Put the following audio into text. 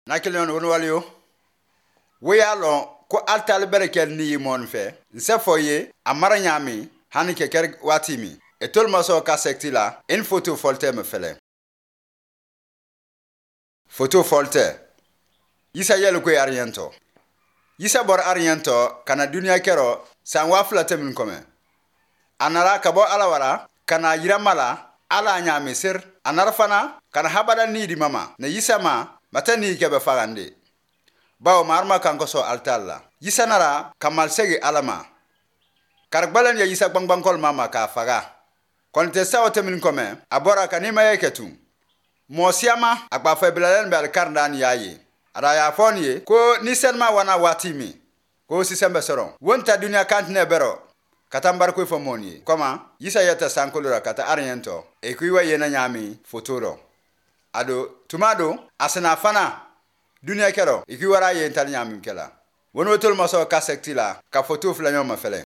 Na kelen wale wo y'a lɔn ko alitali bɛrɛ kɛ ni ye mɔni fɛ n se fɔ ye a mara ɲa min hani kɛ kɛri waati min e tolu ma sɔn ka sɛgiti la i ni foto fɔli tɛ mɛ fɛlɛ foto fɔli tɛ Yisa yɛlɛ ko ariyɛntɔ. Yisa bɔra ariyɛntɔ ka na duniya kɛrɔ san 2000 tɛmɛn kɔmɛ. A nana ka bɔ Ala wara ka na yirama la Ala ɲa seri. A nara fana ka na habada ni di mama na Yisa ma mata ni kɛ bɛ fagande bawo marma kan kosɔ altal la. Yisa nara ka malsegi Ala ma. Karigbalen ye Yisa gbangbankɔl ma k'a faga. Kɔni tɛ sawo tɛmɛn kɔmɛ a bɔra ka n'i kɛ tun. Mɔɔ siyama a gbafɛ bilalen bɛ alikari y'a ye. A y'a fɔ nin ye ko ni sɛnima wana waati min ko sisan bɛ sɔrɔ won ta duniya kantinɛ bɛrɔ ka taa nbariko fɔ mɔɔ ye kɔma Yisa yɛ ta sankolo la ka taa ariyɛntɔ e ko i wa yena ɲaami foto rɔ a do tuma do a sena fana duniya kɛrɔ i k'i wara ye ntali ɲaami kɛla woni wotolu ma sɔn ka sɛgiti la ka foto filɛ ɲɔgɔn ma fɛlɛ.